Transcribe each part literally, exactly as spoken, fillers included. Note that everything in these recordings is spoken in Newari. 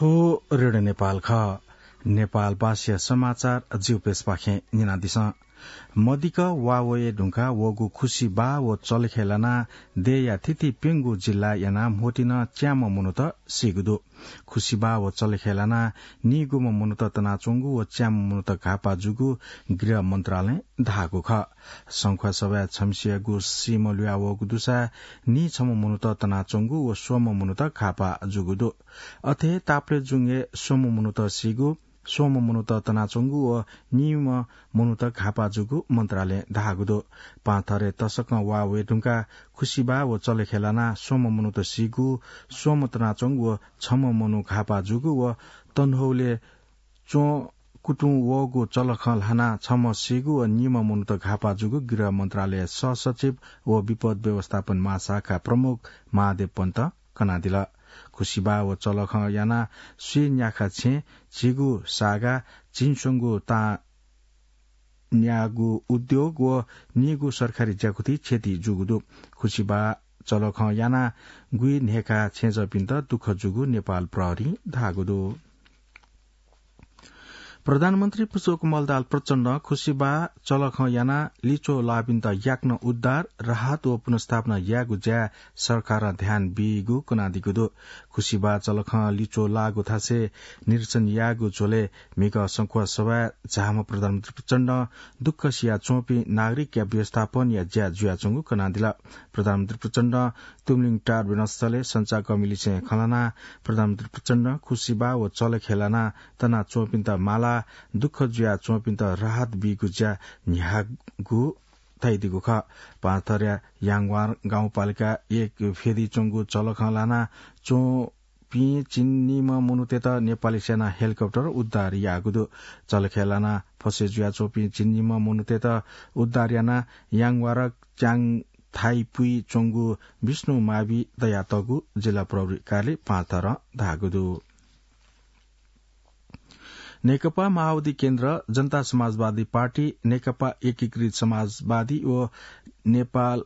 थ्व रेडियो नेपाल खः। नेपालभाषाया समाचार जिगु पेजपाखें न्यनादिसँ। मदिक्क वा वये धुंकाः वःगु खुसिबाः व चलेखय् लानाः देय्‌या थीथी प्यंगू जिल्लाय् यानाः म्होतिं च्याम्ह मनूत सीगु दु। खुसिबाः व चलेखय् लानाः नीगुम्ह मनूत तनाच्वंगु व च्याम्ह मनूत घाःपाः जूगु गृह मन्त्रालयं धाःगु खः। संखुवासभाय् छम्हसियागु सीम्ह लुया वःगु दुसा नीछम्ह मनूत तनाच्वंगु व स्वम्ह मनूत घाःपाः जूगु दु। अथे हे ताप्लेजुङय् स्वम्ह मनूत सीगु, स्वम्ह मनूत तनाच्वंगु व नीम्ह मनूत घाःपाः जूगु मन्त्रालयं धाःगु दु। पाहांथरय् तसकं वा वये धुंकाः खुसिबाः व चलेखय् लानाः स्वम्ह मनूत सीगु, स्वम्ह तनाच्वंगु व छम्ह मनू घाःपाः जूगु व तनहौलय् च्वं कुतुं वःगु चलखं ल्हानाः छम्ह सीगु व नीम्ह मनूत घाःपाः जूगु गृह मन्त्रालय सहसचिव व विपद व्यवस्थापन महाशाखा प्रमुख महादेव पन्तं कनादिल। खुसिबाः व चलखं यानाः स्वीन्याखा छेँ, झिगू सागा, झिंस्वंगू तां न्याःगु उद्योग व नीगू सरकारी ज्याकुथि क्षति जूगु दु। खुसिबाः चलखं यानाः गुइन्हय्‌खा छेँजःपिन्त दुःख जूगु नेपाल प्रहरीं धाःगु दु। प्रधानमन्त्री पुष्पकमल दाहाल प्रचण्डं खुसिबाः चलखं यानाः लिच्वः लाःपिन्त याकनं उद्धार, राहत व पुनर्स्थापना यायेगु ज्याय् सरकारं ध्यान बीगु कनादीगु दु। खुसिबाः चलखं लिच्वः लाःगु थासय् निरीक्षण यायेगु झ्वलय् म्हिगः संखुवासभाय् झाःम्ह प्रधानमन्त्री प्रचण्डं दुःख सियाच्वंपिं नागरिकया व्यवस्थापनया ज्या जुयाच्वंगु कनादिल। प्रधानमन्त्री प्रचण्डं तुमलिङ टार विमानस्थलय् सञ्चारकर्मीलिसें खँ ल्हानाः प्रधानमन्त्री प्रचण्डं खुसिबाः व चलेखय् लानाः तनाच्वंपिन्त मालाः, दुःख जुयाच्वंपिन्त राहत बीगु ज्या न्ह्याःगु धयादीगु खः। पाहांथरया याङवार गाउँपालिका एक फेदी च्वंगु चलखं लानाः च्वंपिं झिंनिम्ह मनूतय्‌त नेपाली सेनां हेलिकप्टरं उद्धार याःगु दु। चलखय् लानाः फसे जुयाच्वंपिं झिंनिम्ह मनूतय्‌त उद्धार यानाः याङवार च्याङथाइपुइ च्वंगु विष्णु मावि तयातःगु जिल्ला प्रहरी कार्यालय पाहांथरं धाःगु दु। नेकपा माओवादी केन्द्र, जनता समाजवादी पार्टी, नेकपा एकीकृत समाजवादी व नेपाल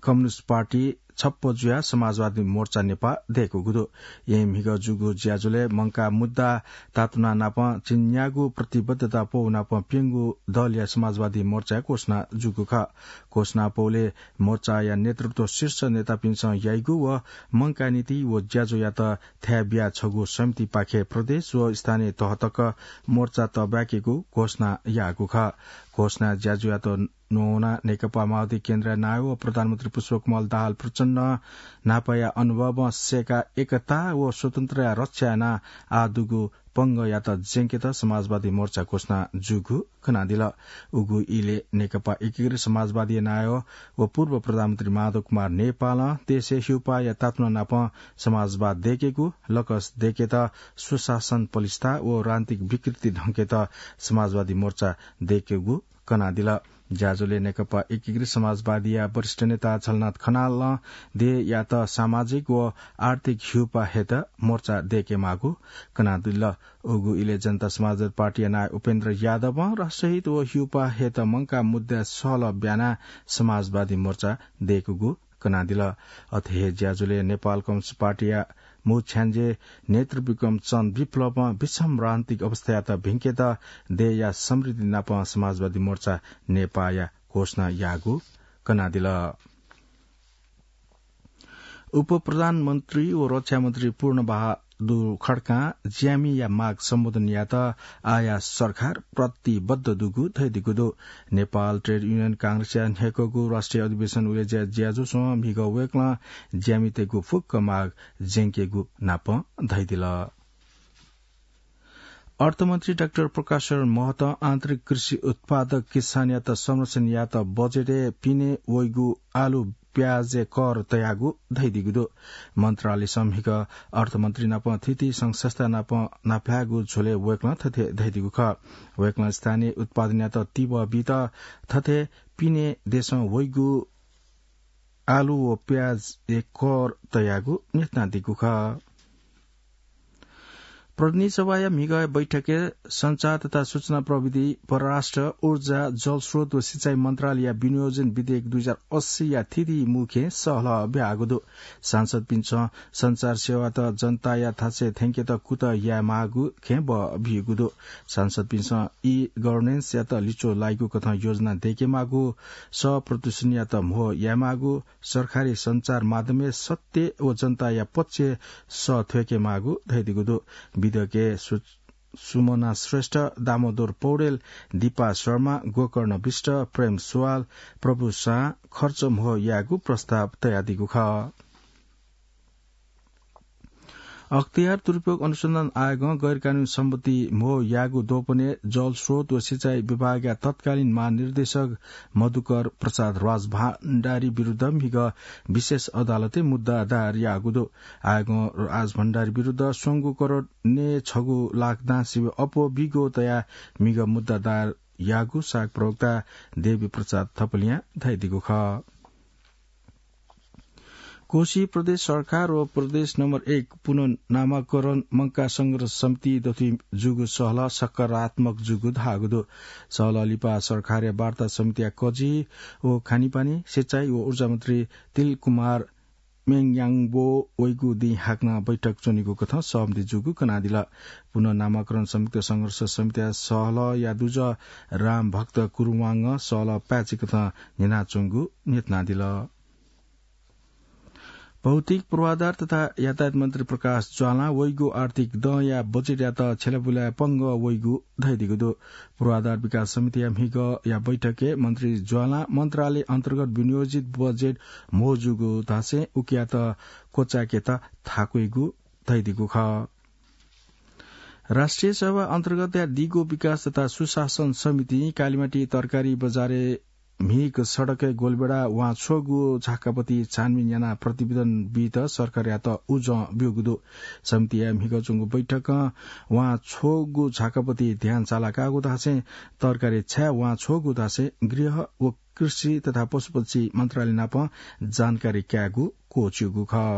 कम्युनिस्ट पार्टी छप्पँ जुयाः समाजवादी मोर्चा नेपाः दय्‌कूगु दु। येँ म्हिगः जूगु ज्याझ्वलय् मंकाः मुद्दा तातुना नापं चिन्याःगु प्रतिबद्धता पौ नापं प्यंगू दलया समाजवादी मोर्चाया घोषणा जूगु खः। घोषणा पौलय् मोर्चाया नेतृत्व शीर्ष नेतापिन्सं याइगु व मंकाः नीति व ज्याझ्वःयात थाय् बियाः छगू समितिपाखें प्रदेश व स्थानीय तह तक मोर्चा तःबाय्‌केगु घोषणा याःगु खः। घोषणा ज्याझ्वःयात न्ववानाः नेकपा माओवादी केन्द्रया नायः व प्रधानमन्त्री पुष्पकमल दाहाल प्रचण्डं न्हापाया अनुभवं सय्‌काः एकता व स्वतन्त्रताया रक्षा यानाः आः दुगु पंगःयात ज्यंकेत समाजवादी मोर्चा घोषणा जूगु कनादिल। उगु इलय् नेकपा एकीकृत समाजवादीया नायः व पूर्व प्रधानमन्त्री माधव कुमार नेपालं देशय् हिउपाःया तातुना नापं समाजवाद दय्‌केगु, लकस दय्‌केत, सुशासन पलिस्था व राजनीतिक विकृति धंकेत समाजवादी मोर्चा दय्‌केगु कनादिल। ज्याझ्वलय् नेकपा एकीकृत समाजवादीया वरिष्ठ नेता झलनाथ खनालं देय्‌यात सामाजिक व आर्थिक हिउपाः हयेत मोर्चा दय्‌केमाःगु कनादिल। उगु इलय् जनता समाजवादी पार्टीया नायः उपेन्द्र यादवं राष्ट्रहित व हिउपाः हयेत मंकाः मुद्दाय् सहलह ब्यानाः समाजवादी मोर्चा दय्‌कूगु कनादिल। अथे हे ज्याझ्वलय् नेपाल कम्युनिस्ट पार्टीया मू छ्याञ्जे नेतृ विक्रम चन्द विप्लवं विषम राजनीतिक अवस्थायात भिंकेत देय्‌या समृद्धि नाप समाजवादी मोर्चा नेपाःया घोषणा याःगु कनादिल। उपप्रधानमन्त्री व रक्षामन्त्री पूर्णबहादुर खड्कां ज्यामीया माग सम्बोधन यायेत आःया सरकार प्रतिबद्ध दुगु धयादीगु दु। नेपाल ट्रेड युनियन कांग्रेसया न्ह्याक्वःगु राष्ट्रिय अधिवेशन उलेज्या ज्याझ्वलय् म्हिगः वय्‌कलं ज्यामीतय्‌गु फुक्क माग ज्यंकेगु नाप धयादिल। अर्थमन्त्री डाक्टर प्रकाश शरण महतं आन्तरिक कृषि उत्पादक किसानयात संरक्षण यायेत बजेटय् पिने वइगु आलु प्याजय् कर तयागु धयादीगु दु। मन्त्रालयसं म्हिगः अर्थमन्त्री नाप थीथी संघ संस्था नाप नापलायेगु झ्वलय् वय्‌कलं थथे धयादीगु खः। वय्‌कलं स्थानीय उत्पादनयात तिबः बीत थथे पिने देशं वइगु आलु व प्याजय् कर तयागु न्ह्यथनादीगु खः। प्रतिनिधि सभाया म्हिगः बैठकय् सञ्चार तथा सूचना प्रविधि, परराष्ट्र, ऊर्जा, जलस्रोत व सिँचाइ मन्त्रालयया विनियोजन विधेयक दुई हजार अस्सीया थीथी मुखें सहलह ब्याःगु दु। सांसदपिन्सं सञ्चार सेवात जनताया थासय् थ्यंकेत कुतः यायेमाःगु खँय् बः बीगु दु। सांसदपिन्सं ई गभर्नेन्सयात लिच्वः लाइगु कथं योजना दयेकेमाःगु, सः प्रदूषणयात म्हो यायेमाःगु, सरकारी सञ्चार माध्यमय् सत्य व जनताया पक्षय् सः थ्वयेकेमाःगु धयादीगु दु। विधेयकय् सु-, सुमना श्रेष्ठ, दामोदर पौडेल, दीपा शर्मा, गोकर्ण विष्ट, प्रेम सुवाल, प्रभु सां खर्च म्हो यायेगु प्रस्ताव तयादीगु खः। अख्तियार दुरुपयोग अनुसन्धान आयोगं गैरकानूनी सम्पत्ति म्हो यायेगु द्वपनय् जलस्रोत व सिँचाइ विभागया तत्कालीन महानिर्देशक मधुकर प्रसाद राजभण्डारी विरुद्ध म्हिगः विशेष अदालतय् मुद्दा दायर याःगु दु। आयोगं राजभण्डारी विरुद्ध स्वंगू करोड नय् छगू लाख दां सिबें अप्वः बिगो तयाः म्हिगः मुद्दा दायर याःगु साग प्रवक्ता देवी प्रसाद थपलियां धयादीगु खः। कोशी प्रदेश सरकार व प्रदेश नम्बर एक पुनर्नामाकरण मंकाः संघर्ष समिति दथुइ जूगु सहलह सकारात्मक जूगु धाःगु दु। सहलह लिपा सरकारया वार्ता समितिया कजि व खानेपानी, सिँचाइ व ऊर्जा मन्त्री तिल कुमार म्याङयाङबो वइगु दिं हाकनं बैठक च्वनीगु कथं सहमति जूगु कनादिल। पुनर्नामाकरण संयुक्त संघर्ष समितिया सहलहया दुजः रामभक्त कुरुवाङं सहलह पाय्‌छि कथं न्ह्यानाच्वंगु न्ह्यथनादिल। भौतिक पूर्वाधार तथा यातायात मन्त्री प्रकाश ज्वालां वइगु आर्थिक दँया बजेटयात छ्यलाबुलाय् पंगः वइगु धयादीगु दु। पूर्वाधार विकास समितिया म्हिगःया बैठकय् मन्त्री ज्वालां मन्त्रालय अन्तर्गत विनियोजित बजेट म्हो जूगु धासें उकियात क्वचाय्‌केत थाकुइगु धयादीगु खः। राष्ट्रिय सभा अन्तर्गतया दिगो विकास तथा सुशासन समितिं कालिमाटी तरकारी बजारय् म्हिगः सडकय् गोलबेडा वां छ्वःगु झाकापति छानबिन यानाः प्रतिवेदन बीत सरकारयात उजं ब्यूगु दु। समितिया म्हिगः च्वंगु बैठकं वां छ्वःगु झाकापति ध्यान सालाकाःगु धासें तरकारी छाय् वां छ्वःगु धासें गृह व कृषि तथा पशुपक्षी मन्त्रालय नाप जानकारी कायेगु क्वःछिउगु खः।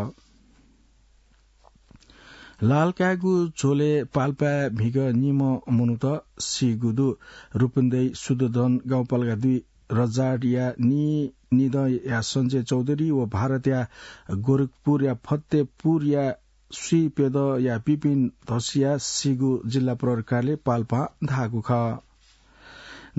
लाल काय्‌गु झ्वलय् पाल्पाय् म्हिगः निम्ह मनूत सीगु दु। रूपन्देही शुद्धोधन गाउँपालिका दुई रजाडया नीनिदँया सञ्जय चौधरी व भारतया गोरखपुरया फतेपुरया स्वीप्यदँया विपिन धसिया सीगु जिल्ला प्रहरी कार्यालय पाल्पां धाःगु खः।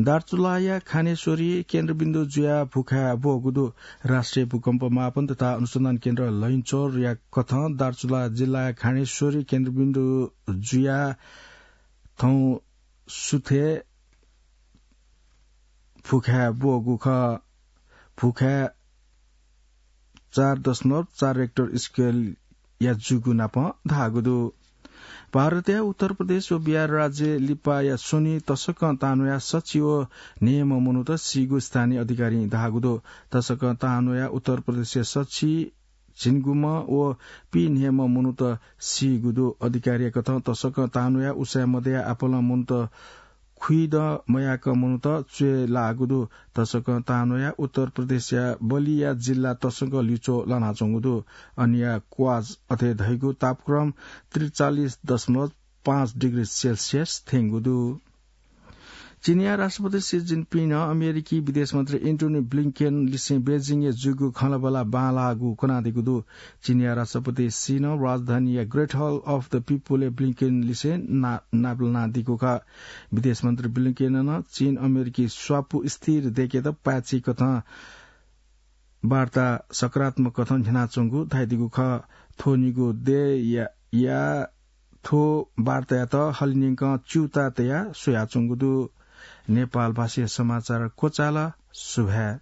दार्चुलाया खानेश्वरी केन्द्रबिन्दु जुयाः भुखाय् ब्वःगु दु। राष्ट्रिय भूकम्प मापन तथा अनुसन्धान केन्द्र लैनचौरया कथं दार्चुला जिल्लाया खानेश्वरी केन्द्रबिन्दु जुयाः थौं सुथय् भुखाय् ब्वःगु खः। भुखाय् चार दशमलव चार रेक्टर स्केलया जूगु नाप धाःगु दु। भारतया उत्तर प्रदेश व बिहार राज्यय् लिपाया स्वन्हि तसकं तांन्वयाः सछि व न्हय्‌म्ह मनूत सीगु स्थानीय अधिकारीं धाःगु दु। तसकं तांन्वयाः उत्तर प्रदेशया सछि झिंगुम्ह व पीन्हय्‌म्ह मनूत सीगु दु। अधिकारीया कथं तसकं तांन्वयाः उसाँय् मदयाः आपालं मनूत खुइदँ मयाकं मनूत च्वय् लाःगु दु। तसकं तांन्वयाः उत्तर प्रदेशया बलिया जिल्ला तसकं लिच्वः लानाच्वंगु दु। अनया क्वाज अथे धइगु तापक्रम त्रिचालिस दशमलव पाँच डिग्री सेल्सियस थ्यंगु दु। चीनया राष्ट्रपति सी जिनपिंनं अमेरिकी विदेश मन्त्री एन्टोनी ब्लिंकेन लिसें बेजिङय् जूगु खँल्हाबल्हा बांलाःगु कनादीगु दु। चीनया राष्ट्रपति सीनं राजधानीया Great Hall of the People-य् ब्लिंकेन लिसें ना-, नापलानादीगु खः। विदेश मन्त्री ब्लिंकेनं चीन अमेरिकी स्वापू स्थिर दयेकेत पाय्‌छि कथं वार्ता सकारात्मक कथं न्ह्यानाच्वंगु धयादीगु खः। थ्व निगू दय्‌या, या थ्व वार्तायात हलिंन्यंकं च्यूताः तयाः स्वयाच्वंगु दु। नेपाल भाषाया समाचार क्वचाल। सुभाय्।